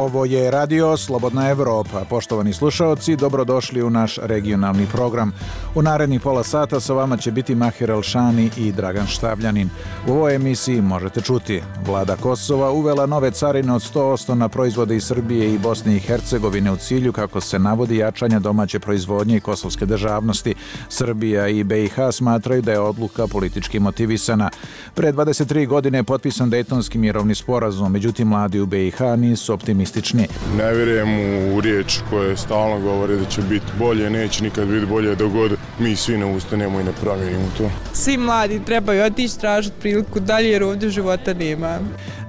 Ovo je Radio Slobodna Evropa. Poštovani slušaoci, dobrodošli u naš regionalni program. U narednih pola sata sa vama će biti Mahir Elšani i Dragan Štavljanin. U ovoj emisiji možete čuti: Vlada Kosova uvela nove carine od 100% na proizvode iz Srbije i Bosne i Hercegovine u cilju, kako se navodi, jačanja domaće proizvodnje i kosovske državnosti. Srbija i BiH smatraju da je odluka politički motivisana. Pre 23 godine je potpisan Dejtonski mirovni sporazum, međutim mladi u BiH nisu optimistični. Ne vjerujem u riječ koje stalno govore da će biti bolje, neće nikad biti bolje dok god mi svi ne ustanemo i ne promijenimo to. Svi mladi trebaju otići tražiti priliku dalje jer ovdje života nema.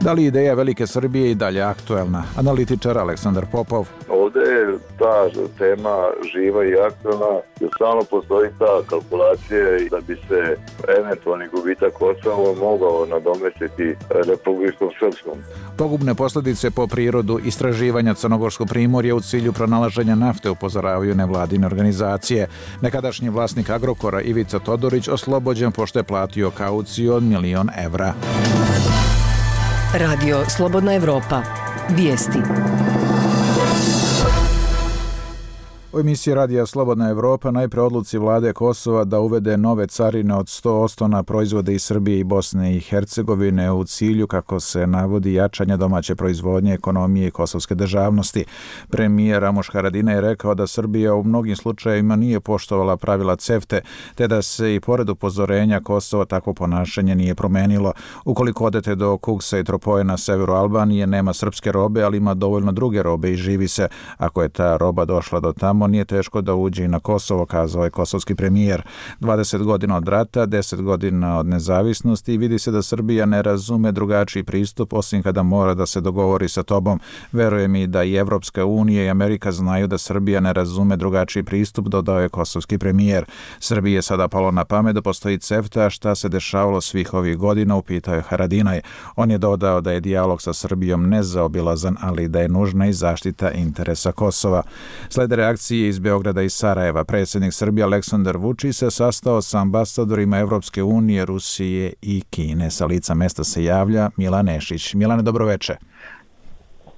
Da li ideja Velike Srbije i dalje aktuelna? Analitičar Aleksandar Popov. Ovdje je ta tema živa i aktuelna, jer stalno postoji ta kalkulacija da bi se eventualni gubitak Kosova mogao nadomestiti Republikom Srpskom. Pogubne posljedice po prirodu istraživanja Crnogorskog primorja u cilju pronalaženja nafte upozoravaju nevladine organizacije. Nekadašnji vlasnik Agrokora Ivica Todorić oslobođen pošto je platio kauciju od 1.000.000 evra. Radio Slobodna Evropa. Vijesti. U emisiji Radija Slobodna Evropa najpre odluci vlade Kosova da uvede nove carine od 100% na proizvode iz Srbije i Bosne i Hercegovine u cilju, kako se navodi, jačanja domaće proizvodnje, ekonomije i kosovske državnosti. Premijer Ramuš Haradinaj je rekao da Srbija u mnogim slučajevima nije poštovala pravila CEFTA, te da se i pored upozorenja Kosova takvo ponašanje nije promenilo. Ukoliko odete do Kuksa i Tropoje na severu Albanije, nema srpske robe, ali ima dovoljno druge robe i živi se. Ako je ta roba došla do tamo, nije teško da uđe i na Kosovo, kazao je kosovski premijer. 20 godina od rata, 10 godina od nezavisnosti i vidi se da Srbija ne razume drugačiji pristup osim kada mora da se dogovori sa tobom. Verujem i da i Evropska unija i Amerika znaju da Srbija ne razume drugačiji pristup, dodao je kosovski premijer. Srbiji je sada palo na pamet da postoji CEFTA, šta se dešavalo svih ovih godina, upitao je Haradinaj. On je dodao da je dijalog sa Srbijom nezaobilazan, ali da je nužna i zaštita interesa Kosova. Slede reakcije iz Beograda i Sarajeva. Predsjednik Srbije Aleksandar Vučić se sastao sa ambasadorima Evropske unije, Rusije i Kine. Sa lica mesta se javlja Milan Nešić. Milane, dobroveče.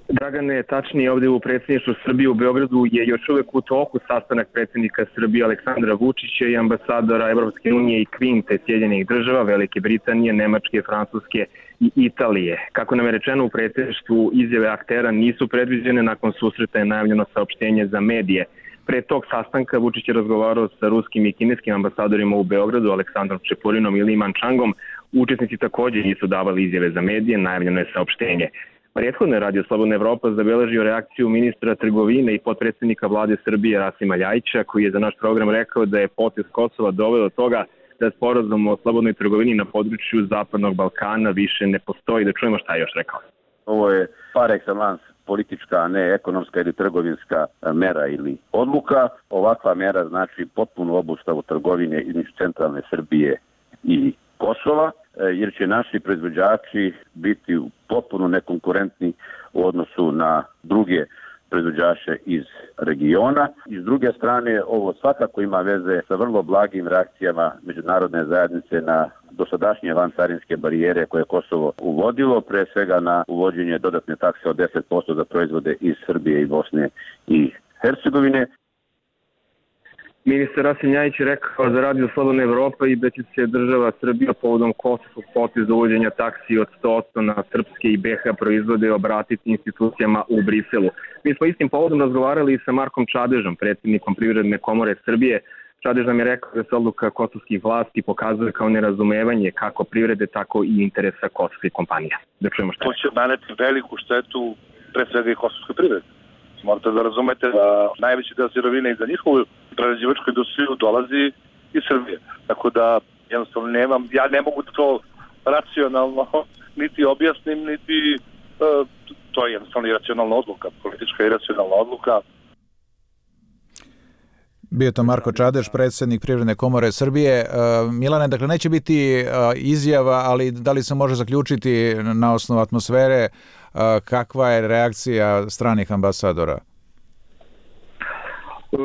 Dragane, tačnije ovdje u predsjedništvu Srbije u Beogradu je još uvijek u toku sastanak predsjednika Srbije Aleksandra Vučića i ambasadora Evropske unije i Kvinte Sjedinjenih država, Velike Britanije, Nemačke, Francuske i Italije. Kako nam je rečeno u predsjedništvu, izjave aktera nisu predviđene, nakon susreta je najavljeno saopštenje za medije. Pre tog sastanka Vučić je razgovarao sa ruskim i kineskim ambasadorima u Beogradu, Aleksandrom Čepurinom i Li Mančangom. Učesnici također nisu davali izjave za medije, najavljeno je saopštenje. Prethodno je Radio Slobodna Evropa zabeležio reakciju ministra trgovine i potpredsjednika vlade Srbije Rasima Ljajića, koji je za naš program rekao da je potez Kosova doveo do toga da sporazum o slobodnoj trgovini na području Zapadnog Balkana više ne postoji. Da čujemo šta je još rekao. Ovo je par excellence politička, a ne ekonomska ili trgovinska mera ili odluka. Ovakva mera znači potpunu obustavu trgovine između centralne Srbije i Kosova, jer će naši proizvođači biti potpuno nekonkurentni u odnosu na druge proizvođače iz regiona. I s druge strane, ovo svakako ima veze sa vrlo blagim reakcijama međunarodne zajednice na dosadašnje vancarinske barijere koje je Kosovo uvodilo, pre svega na uvođenje dodatne takse od 10% za proizvode iz Srbije i Bosne i Hercegovine. Ministar Rasim Ljajić je rekao za Radio Slobodna Evropa i da će se država Srbija povodom kosovskog poteza uvođenja taksi od 100% na srpske i BiH proizvode obratiti institucijama u Briselu. Mi smo istim povodom razgovarali sa Markom Čadežom, predsjednikom Privredne komore Srbije. Čadež nam je rekao da se odluka kosovskih vlasti pokazuje kao nerazumevanje kako privrede, tako i interesa kosovskih kompanija. Da čujemo šta. To će naneti veliku štetu pre svega i kosovskoj privredi. Morate da razumete da najveći deo sirovine i za njihovu prerađivačku industriju dolazi iz Srbije. Tako da jednostavno ja ne mogu da to racionalno niti objasnim, niti to je jednostavno iracionalna odluka, politička iracionalna odluka. Bio to Marko Čadež, predsjednik Privredne komore Srbije. Milane, dakle, neće biti izjava, ali da li se može zaključiti na osnovu atmosfere kakva je reakcija stranih ambasadora?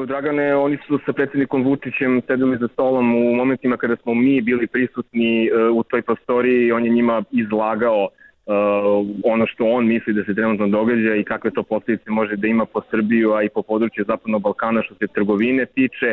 Dragane, oni su sa predsjednikom Vučićem sedeli za stolom u momentima kada smo mi bili prisutni u toj prostoriji. On je njima izlagao ono što on misli da se trenutno događa i kakve to posljedice može da ima po Srbiju, a i po području Zapadnog Balkana što se trgovine tiče.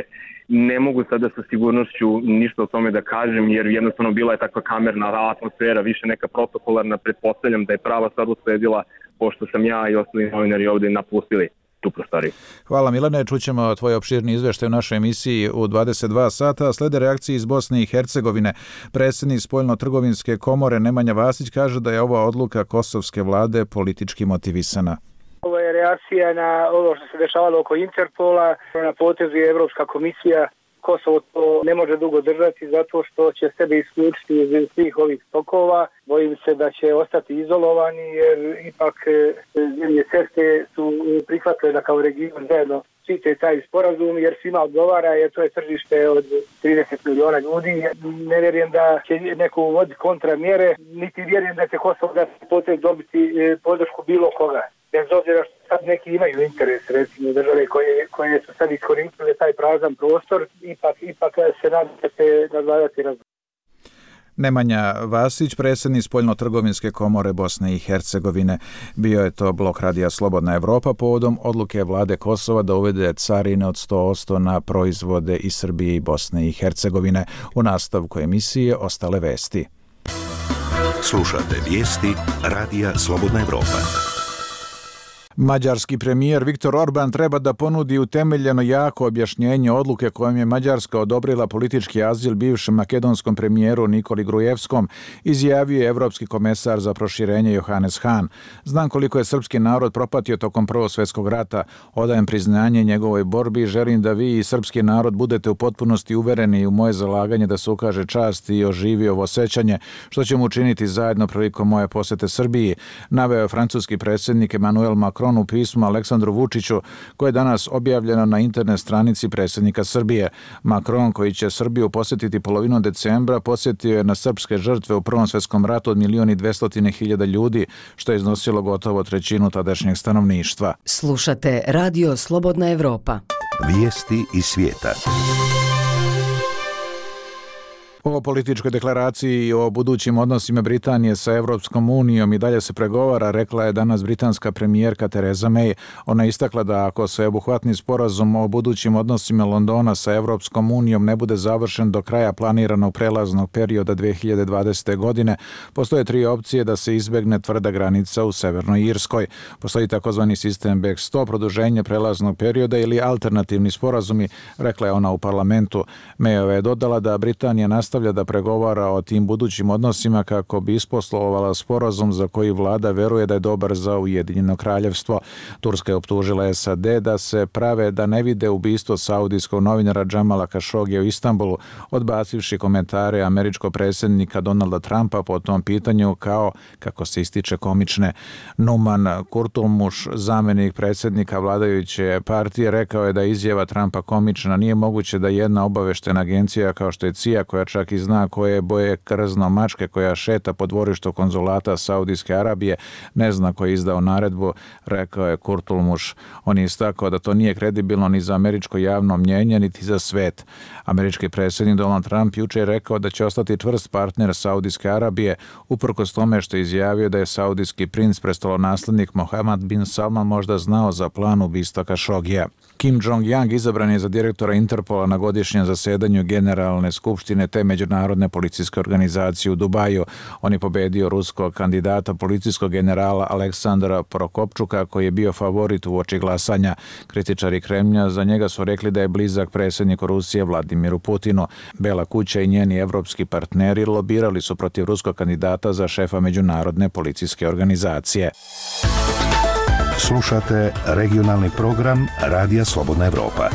Ne mogu sada sa sigurnošću ništa o tome da kažem, jer jednostavno bila je takva kamerna atmosfera, više neka protokolarna. Pretpostavljam da je prava stvar usledila pošto sam ja i ostali novinari ovdje napustili tu prostoriju. Hvala Milane, čućemo tvoj opširni izveštaj u našoj emisiji u 22 sata. Slede reakcije iz Bosne i Hercegovine. Predsjednik Spoljno-trgovinske komore Nemanja Vasić kaže da je ova odluka kosovske vlade politički motivisana. Ovo je reakcija na ovo što se dešavalo oko Interpola, na potezu je Evropska komisija. Kosovo to ne može dugo držati zato što će sebe isključiti iz svih ovih tokova. Bojim se da će ostati izolovani jer ipak zemlje CEFTA su prihvatile da kao region zajedno štite taj sporazum jer svima odgovara jer to je tržište od 30 miliona ljudi. Ne vjerujem da će neko uvoditi kontramjere, niti vjerujem da će Kosovo da potez dobiti podršku bilo koga. Bez obzira što sad neki imaju interes, recimo države koje su sad iskoristile taj prazan prostor, ipak se nadam da će nadvladati razvoj. Nemanja Vasić, predsjednik Spoljno-trgovinske komore Bosne i Hercegovine. Bio je to blok radija Slobodna Evropa povodom odluke vlade Kosova da uvede carine od 100% na proizvode iz Srbije i Bosne i Hercegovine. U nastavku emisije ostale vesti. Slušate vijesti radija Slobodna Evropa. Mađarski premijer Viktor Orban treba da ponudi utemeljeno jako objašnjenje odluke kojom je Mađarska odobrila politički azil bivšem makedonskom premijeru Nikoli Grujevskom, izjavio je evropski komesar za proširenje Johannes Hahn. Znam koliko je srpski narod propatio tokom Prvog svjetskog rata, odajem priznanje njegovoj borbi i želim da vi i srpski narod budete u potpunosti uvereni u moje zalaganje da se ukaže čast i oživi ovo sećanje, što ćemo učiniti zajedno prilikom moje posete Srbiji, naveo je francuski predsjednik Emmanuel Macron u pismu Aleksandru Vučiću, koje je danas objavljeno na internet stranici predsjednika Srbije. Macron, koji će Srbiju posjetiti polovinom decembra, posjetio je na srpske žrtve u Prvom svjetskom ratu od 1.200.000 ljudi, što je iznosilo gotovo trećinu tadašnjeg stanovništva. Slušate Radio Slobodna Evropa. Vijesti iz svijeta. O političkoj deklaraciji i o budućim odnosima Britanije sa Evropskom unijom i dalje se pregovara, rekla je danas britanska premijerka Theresa May. Ona je istakla da ako sveobuhvatni sporazum o budućim odnosima Londona sa Evropskom unijom ne bude završen do kraja planiranog prelaznog perioda 2020. godine, postoje 3 opcije da se izbegne tvrda granica u Severnoj Irskoj. Postoji takozvani sistem backstop, produženje prelaznog perioda ili alternativni sporazumi, rekla je ona u parlamentu. Mayova je dodala da Britanija nastavlja da pregovara o tim budućim odnosima kako bi isposlovala sporazum za koji vlada veruje da je dobar za Ujedinjeno kraljevstvo. Turska je optužila SAD da se prave da ne vide ubistvo saudijskog novinara Džamala Kašogija u Istanbulu, odbacivši komentare američkog predsjednika Donalda Trumpa po tom pitanju kao, kako se ističe, komične. Numan Kurtulmuš, zamjenik predsjednika vladajuće partije, rekao je da je izjava Trumpa komična. Nije moguće da jedna obaveštena agencija kao što je CIA, koja čak i zna koje boje krzno mačke koja šeta po dvorištu konzulata Saudijske Arabije, ne zna ko je izdao naredbu, rekao je Kurtulmuš. On je istakao da to nije kredibilno ni za američko javno mnjenje, niti za svet. Američki predsjednik Donald Trump jučer je rekao da će ostati čvrst partner Saudijske Arabije, uprkos tome što je izjavio da je saudijski princ, prestolonaslednik Mohammed bin Salman, možda znao za plan ubistva Kašogija. Kim Jong-yang izabran je za direktora Interpola na godišnjem zasedanju Generalne skupštine te međunarodne policijske organizacije u Dubaju. On je pobedio ruskog kandidata policijskog generala Aleksandra Prokopčuka, koji je bio favorit u oči glasanja. Kritičari Kremlja za njega su rekli da je blizak predsjedniku Rusije Vladimiru Putinu. Bela kuća i njeni evropski partneri lobirali su protiv ruskog kandidata za šefa međunarodne policijske organizacije. Slušate regionalni program Radija Slobodna Evropa.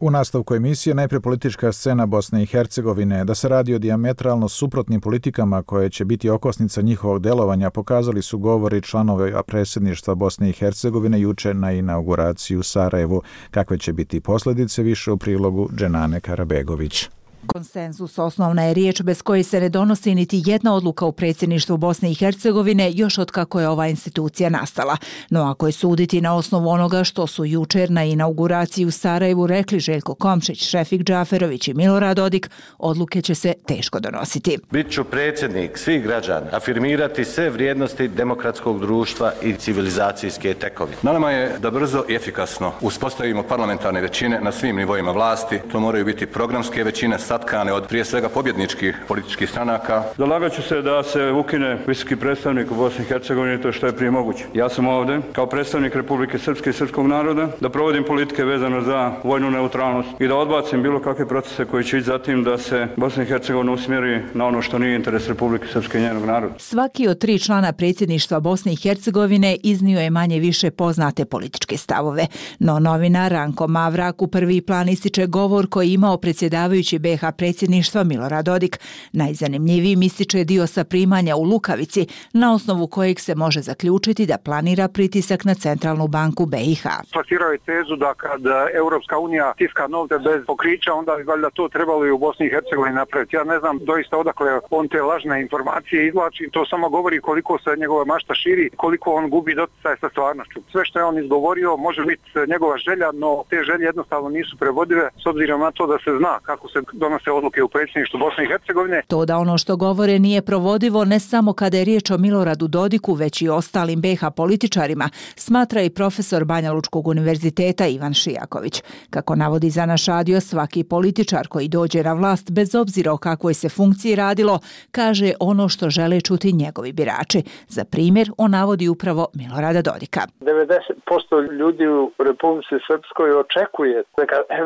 U nastavku emisije najprije politička scena Bosne i Hercegovine. Da se radi o dijametralno suprotnim politikama koje će biti okosnica njihovog delovanja, pokazali su govori članova predsjedništva Bosne i Hercegovine juče na inauguraciji u Sarajevu. Kakve će biti posljedice, više u prilogu Dženane Karabegović. Konsenzus osnovna je riječ bez koje se ne donosi niti jedna odluka u predsjedništvu Bosne i Hercegovine još od kako je ova institucija nastala. No ako je suditi na osnovu onoga što su jučer na inauguraciji u Sarajevu rekli Željko Komšić, Šefik Džaferović i Milorad Dodik, odluke će se teško donositi. Bit ću predsjednik svih građana, afirmirati sve vrijednosti demokratskog društva i civilizacijske tekovine. Na nama je da brzo i efikasno uspostavimo parlamentarne većine na svim nivoima vlasti. To moraju biti programske većine satkane od prije svega pobjedničkih političkih stranaka. Zalagat ću se da se ukine visoki predstavnik u Bosni i Hercegovini, to što je prije moguće. Ja sam ovdje kao predstavnik Republike Srpske i srpskog naroda da provodim politike vezano za vojnu neutralnost i da odbacim bilo kakve procese koji će ići za tim da se Bosna i Hercegovina usmjeri na ono što nije interes Republike Srpske i njenog naroda. Svaki od 3 člana predsjedništva Bosne i Hercegovine iznio je manje više poznate političke stavove. No novinar Ranko Mavrak u prvi plan ističe govor koji je imao predsjedavajući BiH predsjedništva Milorad Dodik. Najzanimljivijim ističe dio sa primanja u Lukavici, na osnovu kojeg se može zaključiti da planira pritisak na Centralnu banku BiH. Plasirao je tezu da kad Europska unija tiska novce bez pokrića, onda bi valjda to trebalo i u Bosni i Hercegovini napraviti. Ja ne znam doista odakle on te lažne informacije izvlači, to samo govori koliko se njegova mašta širi, koliko on gubi doticaj sa stvarnošću. Sve što je on izgovorio može biti njegova želja, no te želje jednostavno nisu prevodive s obzirom na to da se zna kako se donose odluke u predsjedništvu Bosne i Hercegovine. To da ono što govore nije provodivo ne samo kada je riječ o Miloradu Dodiku, već i ostalim BiH političarima, smatra i profesor Banja Lučkog univerziteta Ivan Šijaković. Kako navodi za naš radio, svaki političar koji dođe na vlast, bez obzira o kakvoj se funkciji radilo, kaže ono što žele čuti njegovi birači. Za primjer, on navodi upravo Milorada Dodika. 90% ljudi u Republici Srpskoj očekuje.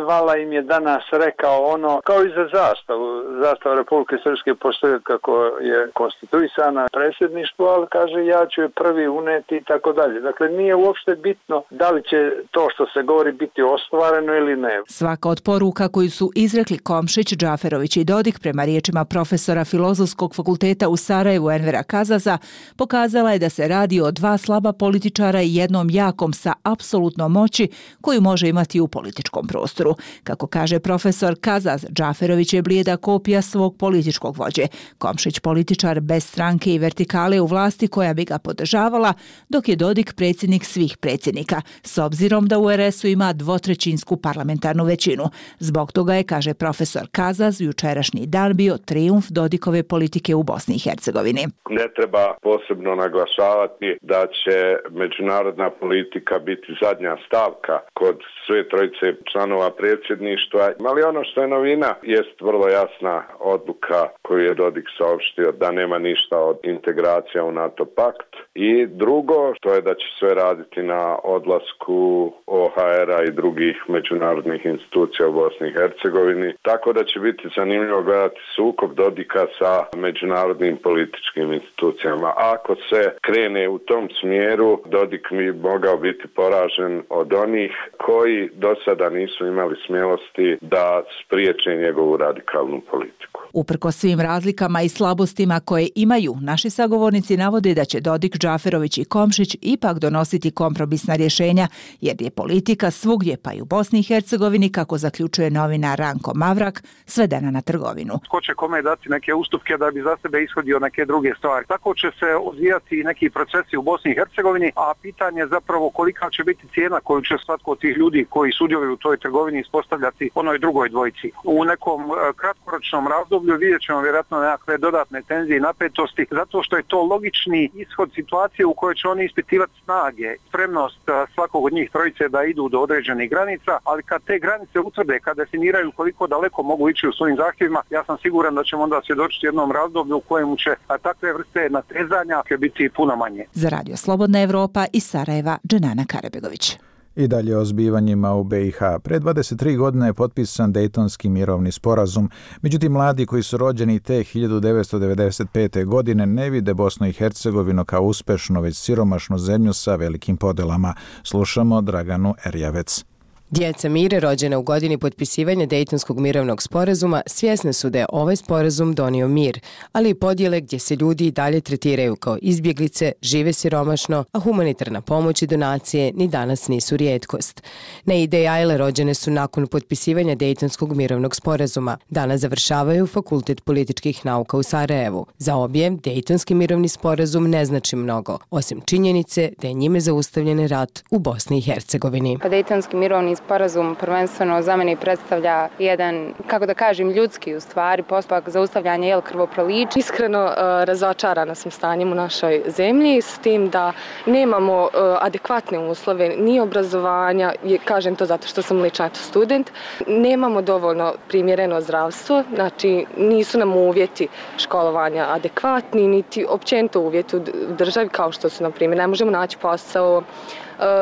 Vala im je danas rekao ono, kao i za zastavu. Zastava Republike Srpske postoji kako je konstituisana predsjedništvo, ali kaže ja ću je prvi uneti i tako dalje. Dakle, nije uopšte bitno da li će to što se govori biti ostvareno ili ne. Svaka od poruka koju su izrekli Komšić, Džaferović i Dodik prema riječima profesora Filozofskog fakulteta u Sarajevu Envera Kazaza pokazala je da se radi o 2 slaba političara i jednom jakom sa apsolutnom moći koju može imati u političkom prostoru. Kako kaže profesor Kazaz, Džaferović je blijeda kopija svog političkog vođe. Komšić političar bez stranke i vertikale u vlasti koja bi ga podržavala, dok je Dodik predsjednik svih predsjednika, s obzirom da u RS-u ima 2/3 parlamentarnu većinu. Zbog toga je, kaže profesor Kazaz, jučerašnji dan bio trijumf Dodikove politike u Bosni i Hercegovini. Ne treba posebno naglašavati da će međunarodna politika biti zadnja stavka kod sve trojice članova predsjedništva. Ali ono što je novina jest vrlo jasna odluka koju je Dodik saopštio da nema ništa od integracija u NATO pakt. I drugo, to je da će sve raditi na odlasku OHR-a i drugih međunarodnih institucija u Bosni i Hercegovini. Tako da će biti zanimljivo gledati sukob Dodika sa međunarodnim političkim institucijama. Ako se krene u tom smjeru, Dodik bi mogao biti poražen od onih koji do sada nisu imali smjelosti da spriječe njegovu radikalnu politiku. Uprkos svim razlikama i slabostima koje imaju, naši sagovornici navode da će Dodik, Džaferović i Komšić ipak donositi kompromisna rješenja, jer je politika svugdje, pa i u Bosni i Hercegovini, kako zaključuje novinar Ranko Mavrak, svedena na trgovinu. Ko će kome dati neke ustupke da bi za sebe ishodio neke druge stvari. Tako će se odvijati neki procesi u Bosni i Hercegovini, a pitanje je zapravo kolika će biti cijena koju će svatko od tih ljudi koji sudjeluju u toj trgovini ispostavljati onoj drugoj dvojici. U nekom kratkoročnom razdoblju vidjet ćemo vjerojatno nekakve dodatne tenzije i napetosti, zato što je to logični ishod situacije u kojoj će oni ispitivati snage, spremnost svakog od njih trojice da idu do određenih granica, ali kad te granice utvrde, kad definiraju koliko daleko mogu ići u svojim zahtjevima, ja sam siguran da ćemo onda svjedočiti jednom razdoblju u kojem će takve vrste natezanja biti puno manje. Za Radio Slobodna Evropa iz Sarajeva, Dženana Karebegović. I dalje o zbivanjima u BiH. Pre 23 godine je potpisan Dejtonski mirovni sporazum, međutim mladi koji su rođeni te 1995. godine ne vide Bosnu i Hercegovinu kao uspešnu, već siromašnu zemlju sa velikim podelama. Slušamo Draganu Erjavec. Djeca Mire, rođena u godini potpisivanja Dejtonskog mirovnog sporazuma, svjesne su da je ovaj sporazum donio mir, ali i podjele gdje se ljudi i dalje tretiraju kao izbjeglice, žive siromašno, a humanitarna pomoć i donacije ni danas nisu rijetkost. Naide i Ajle rođene su nakon potpisivanja Dejtonskog mirovnog sporazuma. Danas završavaju Fakultet političkih nauka u Sarajevu. Za obje, Dejtonski mirovni sporazum ne znači mnogo, osim činjenice da je njime zaustavljen rat u Bosni i Hercegovini. Dejtonski mirovni sporazum prvenstveno za mene predstavlja jedan, kako da kažem, ljudski u stvari postupak zaustavljanja krvoprolića. Iskreno razočarana sam stanjem u našoj zemlji s tim da nemamo adekvatne uslove ni obrazovanja, kažem to zato što sam lično student, nemamo dovoljno primjereno zdravstvo, znači nisu nam uvjeti školovanja adekvatni, niti općenito uvjeti u državi kao što su, na primjer, ne možemo naći posao.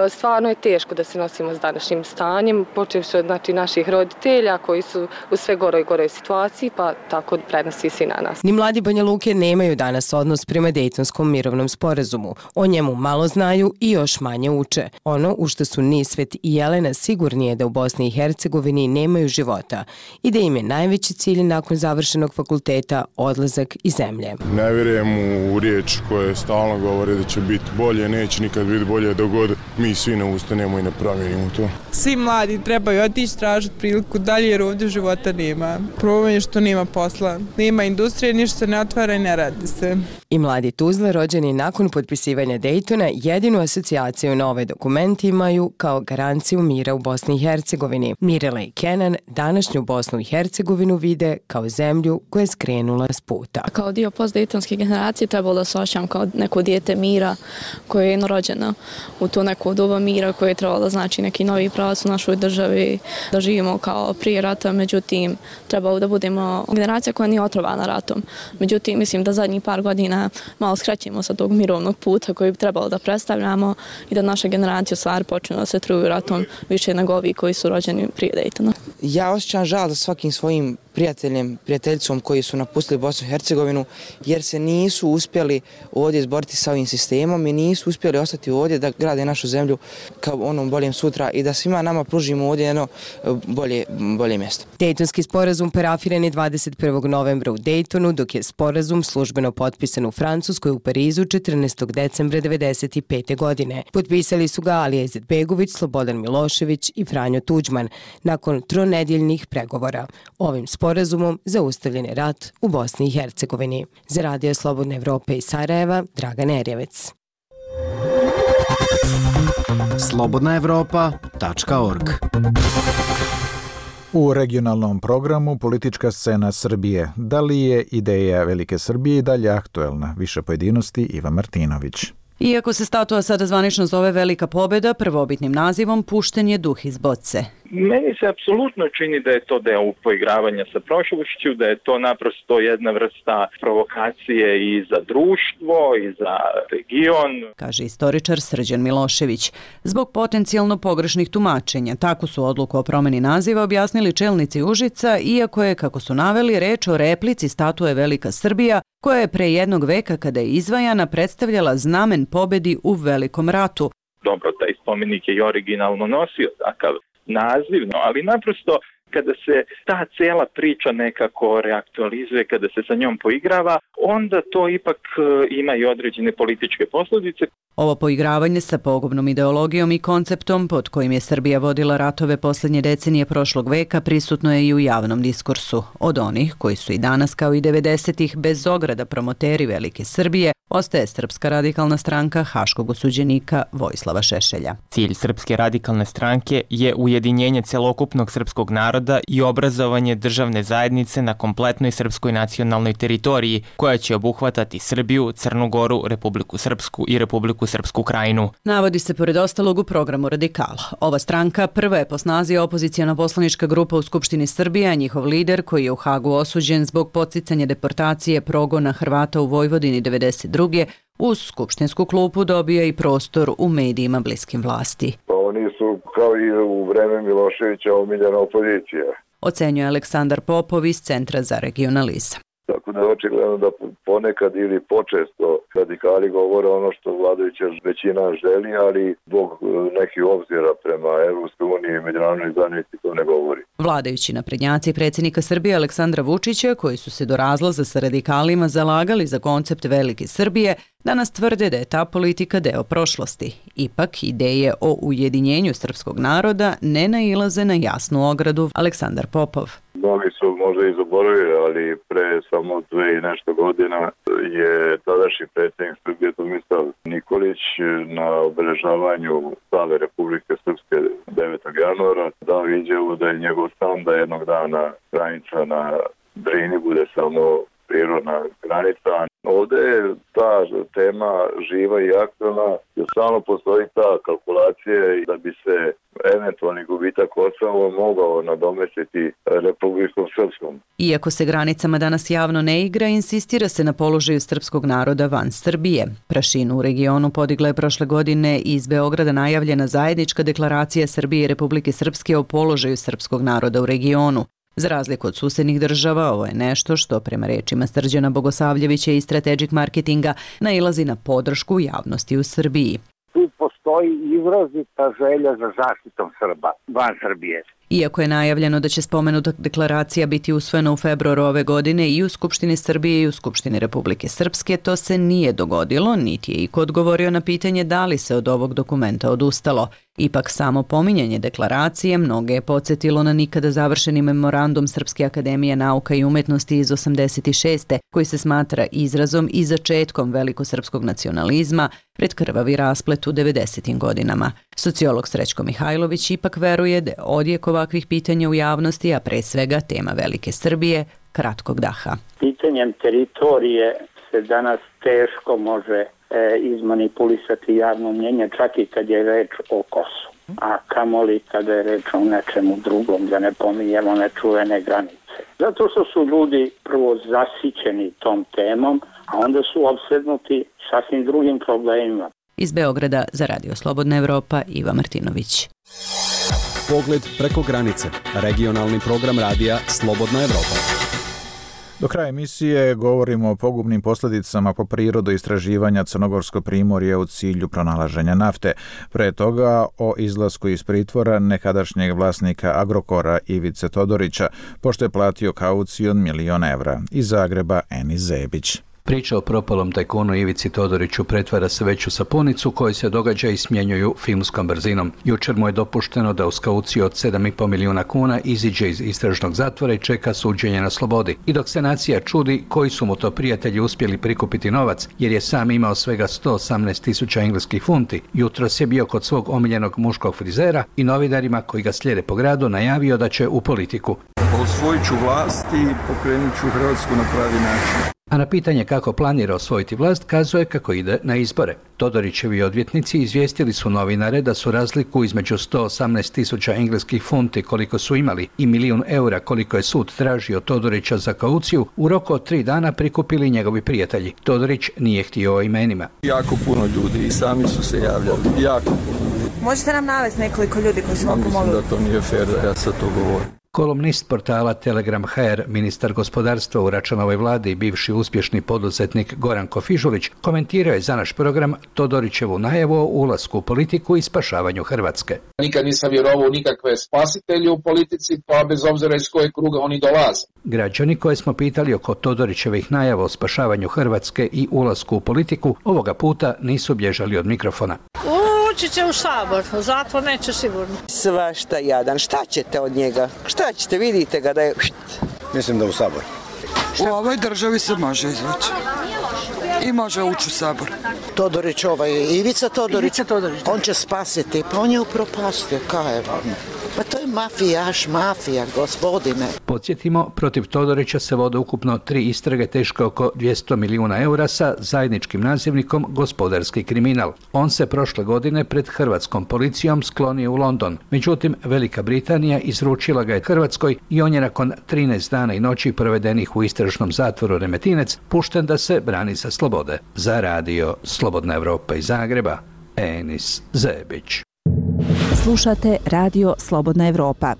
Stvarno je teško da se nosimo s današnjim stanjem, počevši od naših roditelja koji su u sve goroj i goroj situaciji, pa tako prenosi se i na nas. Ni mladi Banja Luke nemaju danas odnos prema Dejtonskom mirovnom sporazumu. O njemu malo znaju i još manje uče. Ono u što su Nisvet i Jelena sigurni je da u Bosni i Hercegovini nemaju života i da im je najveći cilj nakon završenog fakulteta odlazak iz zemlje. Ne vjerujem u riječ koje stalno govore da će biti bolje, neće nikad biti bolje dok god mi svi ne ustanemo i ne promijenimo to. Svi mladi trebaju otići tražiti priliku dalje jer ovdje života nema. Problem je što nema posla, nema industrije, ništa se ne otvara i ne radi se. I mladi Tuzla, rođeni nakon potpisivanja Dejtona, jedinu asocijaciju na ovaj dokument imaju kao garanciju mira u Bosni i Hercegovini. Mirela i Kenan današnju Bosnu i Hercegovinu vide kao zemlju koja je skrenula s puta. Kao dio postdejtonske generacije trebalo da se osjećam kao neko dijete mira koje je rođeno u to neko doba mira koje je trebalo da znači neki novi pravac u našoj državi, da živimo kao prije rata, međutim trebalo da budemo generacija koja nije otrovana ratom. Međutim, mislim da zadnjih par godina malo skrećemo sa tog mirovnog puta koji bi trebalo da predstavljamo i da naša generacija stvari počne da se truju ratom više nego ovi koji su rođeni prije Dejtona. Ja osjećam žal za svakim svojim prijateljicom koji su napustili Bosnu i Hercegovinu jer se nisu uspjeli ovdje izboriti sa ovim sistemom i nisu uspjeli ostati ovdje da grade našu zemlju kao onom boljem sutra i da svima nama pružimo ovdje jedno bolje mjesto. Dejtonski sporazum parafiran je 21. novembra u Dejtonu, dok je sporazum službeno potpisan u Francuskoj u Parizu 14. decembra 1995. godine. Potpisali su ga Alija Izetbegović, Slobodan Milošević i Franjo Tuđman nakon tronedjeljnih pregovora. Ovim sporazumom zaustavljen je rat u Bosni i Hercegovini. Za Radio Slobodne Evrope iz Sarajeva, Dragan Erjevec. slobodnaevropa.org. U regionalnom programu Politička scena Srbije. Da li je ideja Velike Srbije i dalje aktuelna? Više pojedinosti Iva Martinović. Iako se statua sada zvanično zove Velika pobjeda, prvobitnim nazivom pušten je duh iz boce. Meni se apsolutno čini da je to deo poigravanja sa prošlošću, da je to naprosto jedna vrsta provokacije i za društvo i za region. Kaže istoričar Srđan Milošević. Zbog potencijalno pogrešnih tumačenja, tako su odluku o promjeni naziva objasnili čelnici Užica, iako je, kako su naveli, reč o replici statue Velika Srbija, koja je pre jednog veka kada je izvajana predstavljala znamen pobedi u Velikom ratu. Dobro, taj spomenik je i originalno nosio takav naziv, ali naprosto kada se ta cijela priča nekako reaktualizuje, kada se sa njom poigrava, onda to ipak ima i određene političke posljedice. Ovo poigravanje sa pogubnom ideologijom i konceptom pod kojim je Srbija vodila ratove posljednje decenije prošlog veka prisutno je i u javnom diskursu. Od onih koji su i danas kao i 90-ih bez ograda promoteri Velike Srbije, ostaje Srpska radikalna stranka haškog osuđenika Vojislava Šešelja. Cilj Srpske radikalne stranke je ujedinjenje celokupnog srpskog naroda i obrazovanje državne zajednice na kompletnoj srpskoj nacionalnoj teritoriji, koja će obuhvatati Srbiju, Crnu Goru, Republiku Srpsku i Republiku Srpsku Krajinu. Navodi se pored ostalog u programu Radikala. Ova stranka prva je po snazi opozicijona poslanička grupa u Skupštini Srbije, a njihov lider, koji je u Hagu osuđen zbog podsticanja deportacije progona Hrvata u Vojvodini 92. uz skupštinsku klupu dobija i prostor u medijima bliskim vlasti. Oni su kao i u vreme Miloševića omiljena opozicija. Ocenjuje Aleksandar Popov iz Centra za regionalizam. Tako da je očigledno da ponekad ili počesto radikali govore ono što vladajuća većina želi, ali zbog nekih obzira prema Evropskoj uniji i međunarodnoj zajednici to ne govori. Vladajući naprednjaci predsjednika Srbije Aleksandra Vučića, koji su se do razlaza sa radikalima zalagali za koncept Velike Srbije, danas tvrde da je ta politika deo prošlosti. Ipak, ideje o ujedinjenju srpskog naroda ne nailaze na jasnu ogradu. Aleksandar Popov. Mnogi su možda i zaboravili, ali pre samo 2 i nešto godina je tadašnji predsjednik Srbije Tomislav Nikolić na obeležavanju slave Republike Srpske 9. januara dao izjavu da je njegov san da jednog dana granica na Drini bude samo prirodna granica. Ovde je ta tema živa i aktualna, jer stalno postoji ta kalkulacija da bi se eventualni gubitak Kosova mogao nadomestiti Republikom Srpskom. Iako se granicama danas javno ne igra, insistira se na položaju srpskog naroda van Srbije. Prašinu u regionu podigla je prošle godine iz Beograda najavljena zajednička deklaracija Srbije i Republike Srpske o položaju srpskog naroda u regionu. Za razliku od susednih država, ovo je nešto što, prema rečima Srđana Bogosavljevića iz Strategic Marketinga, nailazi na podršku javnosti u Srbiji. Tu postoji izrazita želja za zaštitom Srba van Srbije. Iako je najavljeno da će spomenuta deklaracija biti usvojena u februaru ove godine i u Skupštini Srbije i u Skupštini Republike Srpske, to se nije dogodilo, niti je iko odgovorio na pitanje da li se od ovog dokumenta odustalo. Ipak samo pominjanje deklaracije mnoge je podsjetilo na nikada završeni memorandum Srpske akademije nauka i umetnosti iz 86. koji se smatra izrazom i začetkom velikosrpskog nacionalizma pred krvavi rasplet u 90. godinama. Sociolog Srećko Mihajlović ipak veruje da je odjek ovakvih pitanja u javnosti, a pre svega tema Velike Srbije, kratkog daha. Pitanjem teritorije se danas teško može izmanipulisati javno mnjenje, čak i kad je reč o Kosovu. A kamoli kada je reč o nečemu drugom, da ne pominjemo nečuvene granice. Zato što su ljudi prvo zasićeni tom temom, a onda su opsednuti sasvim drugim problemima. Iz Beograda za Radio Slobodna Evropa, Iva Martinović. Pogled preko granice. Regionalni program radija Slobodna Evropa. Do kraja emisije govorimo o pogubnim posljedicama po prirodu istraživanja Crnogorsko primorje u cilju pronalaženja nafte. Pre toga o izlasku iz pritvora nekadašnjeg vlasnika Agrokora Ivice Todorića, pošto je platio kauciju od 1 milion evra. Iz Zagreba Enis Zebić. Priča o propalom tajkunu Ivici Todoriću pretvara se već u sapunicu koju se događa i smjenjuju filmskom brzinom. Jučer mu je dopušteno da uz kauciju od 7,5 milijuna kuna iziđe iz istražnog zatvora i čeka suđenje na slobodi. I dok se nacija čudi koji su mu to prijatelji uspjeli prikupiti novac, jer je sam imao svega 118.000 engleskih funti, jutros je bio kod svog omiljenog muškog frizera i novinarima koji ga slijede po gradu najavio da će u politiku. Osvojit ću vlast i pokrenut ću Hrvatsku na pravi način. A na pitanje kako planira osvojiti vlast, kazuje kako ide na izbore. Todorićevi odvjetnici izvijestili su novinare da su razliku između 118.000 engleskih funti koliko su imali i 1 milion eura koliko je sud tražio Todorića za kauciju u roku od 3 dana prikupili njegovi prijatelji. Todorić nije htio o imenima. Jako puno ljudi i sami su se javljali. Jako puno. Možete nam navesti nekoliko ljudi koji su vam pomogli? Mislim da to nije fair da ja sad to govorim. Kolumnist portala Telegram.hr, ministar gospodarstva u Račanovoj vladi i bivši uspješni poduzetnik Goran Kofižulić komentirao je za naš program Todorićevu najavu o ulasku u politiku i spašavanju Hrvatske. Nikad nisam vjerovao u nikakve spasitelje u politici, pa bez obzira iz kojeg kruga oni dolaze. Građani koje smo pitali oko Todorićevih najava o spašavanju Hrvatske i ulasku u politiku ovoga puta nisu bježali od mikrofona. Ući će u Sabor, zatvor neće sigurno. Svašta jadan, šta ćete od njega? Šta ćete, vidite ga da je... Mislim da u Sabor. U ovoj državi se može izvući. I može ući u Sabor. Todorić, Ivica Todorić, on će spasiti, pa on je upropastio, kaj je vam? Pa to je mafijaš, mafija, gospodine. Podsjetimo, protiv Todorića se vode ukupno 3 istrage teške oko 200 milijuna eura sa zajedničkim nazivnikom gospodarski kriminal. On se prošle godine pred hrvatskom policijom sklonio u London. Međutim, Velika Britanija izručila ga je Hrvatskoj i on je nakon 13 dana i noći provedenih u istražnom zatvoru Remetinec pušten da se brani sa slobode. Za radio Slobodna Evropa iz Zagreba, Enis Zebić. Slušate Radio Slobodna Evropa.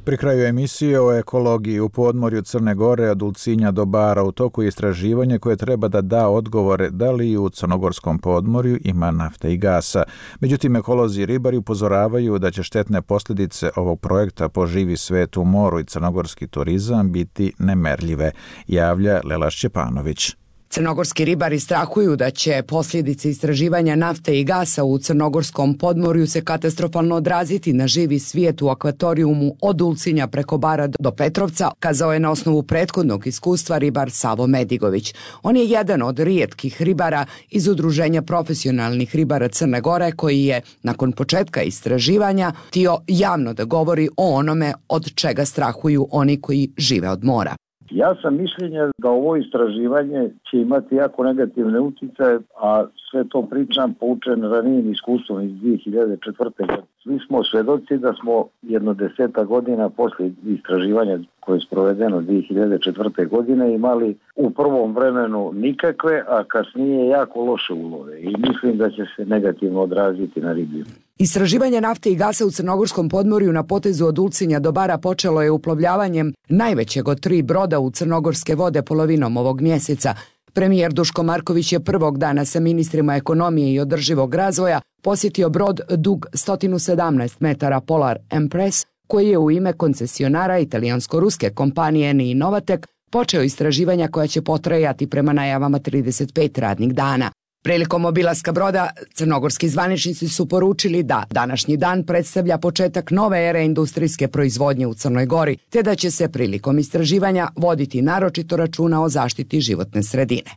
Pri kraju emisije o ekologiji u podmorju Crne Gore od Ulcinja do Bara u toku istraživanja koje treba da da odgovore da li u crnogorskom podmorju ima nafte i gasa. Međutim, ekolozi i ribari upozoravaju da će štetne posljedice ovog projekta po živi svet u moru i crnogorski turizam biti nemerljive, javlja Lela Šćepanović. Crnogorski ribari strahuju da će posljedice istraživanja nafte i gasa u crnogorskom podmorju se katastrofalno odraziti na živi svijet u akvatorijumu od Ulcinja preko Bara do Petrovca, kazao je na osnovu prethodnog iskustva ribar Savo Medigović. On je jedan od rijetkih ribara iz Udruženja profesionalnih ribara Crne Gore koji je, nakon početka istraživanja, htio javno da govori o onome od čega strahuju oni koji žive od mora. Ja sam mišljenja da ovo istraživanje će imati jako negativne utjecaje, a sve to pričam poučen ranijim iskustvom iz 2004. godine. Svi smo svedoci da smo jedno 10 godina poslije istraživanja koje je sprovedeno 2004. godine imali u prvom vremenu nikakve, a kasnije jako loše ulove i mislim da će se negativno odraziti na riblju. Istraživanje nafte i gasa u crnogorskom podmorju na potezu od Ulcinja do Bara počelo je uplovljavanjem najvećeg od 3 broda u crnogorske vode polovinom ovog mjeseca. Premijer Duško Marković je prvog dana sa ministrima ekonomije i održivog razvoja posjetio brod dug 117 metara Polar Empress, koji je u ime koncesionara italijansko-ruske kompanije Ni Novatek počeo istraživanja koja će potrajati prema najavama 35 radnih dana. Prilikom obilaska broda, crnogorski zvaničnici su poručili da današnji dan predstavlja početak nove ere industrijske proizvodnje u Crnoj Gori, te da će se prilikom istraživanja voditi naročito računa o zaštiti životne sredine.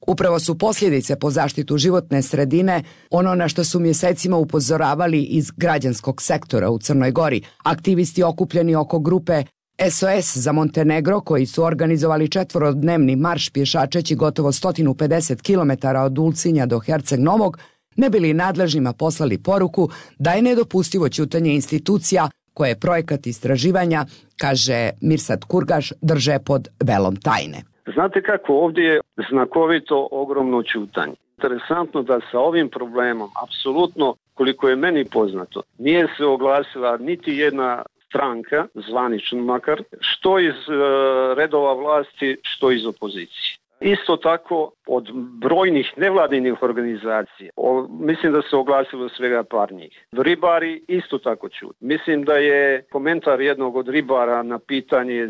Upravo su posljedice po zaštitu životne sredine ono na što su mjesecima upozoravali iz građanskog sektora u Crnoj Gori. Aktivisti okupljeni oko grupe SOS za Montenegro, koji su organizovali 4-dnevni marš pješačeći gotovo 150 km od Ulcinja do Herceg Novog, ne bili nadležnima poslali poruku da je nedopustivo ćutanje institucija koje projekat istraživanja, kaže Mirsad Kurgaš, drže pod velom tajne. Znate kako, ovdje je znakovito ogromno ćutanje. Interesantno da sa ovim problemom, apsolutno, koliko je meni poznato, nije se oglasila niti jedna stranka, zvanično makar, što iz redova vlasti, što iz opozicije. Isto tako od brojnih nevladinih organizacija, mislim da se oglasilo svega par njih. Ribari isto tako čuti. Mislim da je komentar jednog od ribara na pitanje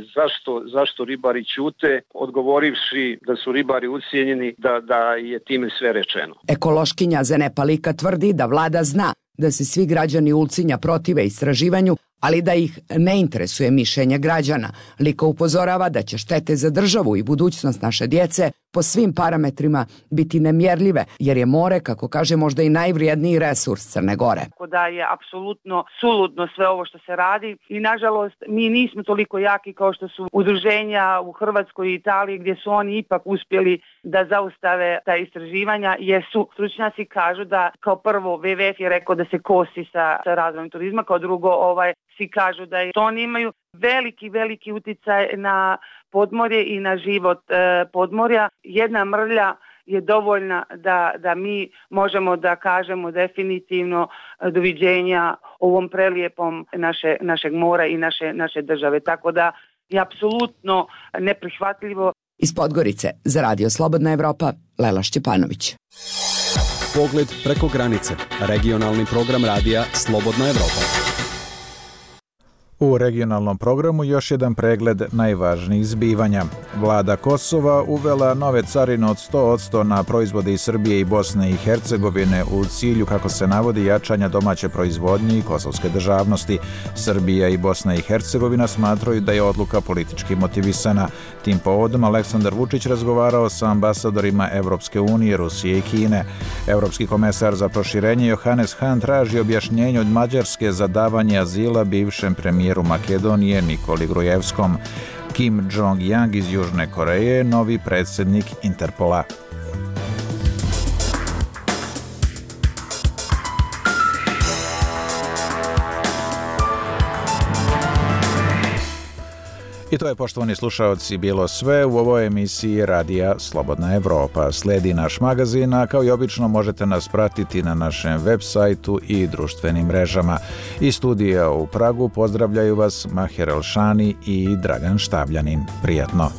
zašto ribari ćute, odgovorivši da su ribari ucijenjeni, da je time sve rečeno. Ekološkinja Zene Palika tvrdi da vlada zna da se svi građani Ulcinja protive istraživanju, ali da ih ne interesuje mišljenje građana. Liko upozorava da će štete za državu i budućnost naše djece po svim parametrima biti nemjerljive, jer je more, kako kaže, možda i najvrijedniji resurs Crne Gore. Da je apsolutno suludno sve ovo što se radi i nažalost mi nismo toliko jaki kao što su udruženja u Hrvatskoj i Italiji, gdje su oni ipak uspjeli da zaustave ta istraživanja, jer su stručnjaci kažu da kao prvo WWF je rekao da se kosi sa razvojem turizma, kao drugo svi kažu da to oni imaju veliki utjecaj na podmorje i na život podmorja. Jedna mrlja je dovoljna da mi možemo da kažemo definitivno doviđenja ovom prelijepom našeg mora i naše države. Tako da je apsolutno neprihvatljivo. Iz Podgorice za Radio Slobodna Evropa, Lela Šćepanović. Pogled preko granice. Regionalni program radija Slobodna Evropa. U regionalnom programu još jedan pregled najvažnijih zbivanja. Vlada Kosova uvela nove carine od 100% na proizvode iz Srbije i Bosne i Hercegovine u cilju, kako se navodi, jačanja domaće proizvodnje i kosovske državnosti. Srbija i Bosna i Hercegovina smatraju da je odluka politički motivisana. Tim povodom Aleksandar Vučić razgovarao sa ambasadorima Evropske unije, Rusije i Kine. Evropski komesar za proširenje Johannes Hahn traži objašnjenje od Mađarske za davanje azila bivšem premijeru Makedonije Nikoli Grujevskom. Kim Jong-yang iz Južne Koreje, novi predsjednik Interpola. I to je, poštovani slušaoci, bilo sve u ovoj emisiji Radija Slobodna Evropa. Slijedi naš magazin, a kao i obično možete nas pratiti na našem web sajtu i društvenim mrežama. Iz studija u Pragu pozdravljaju vas Maher Elšani i Dragan Štavljanin. Prijatno!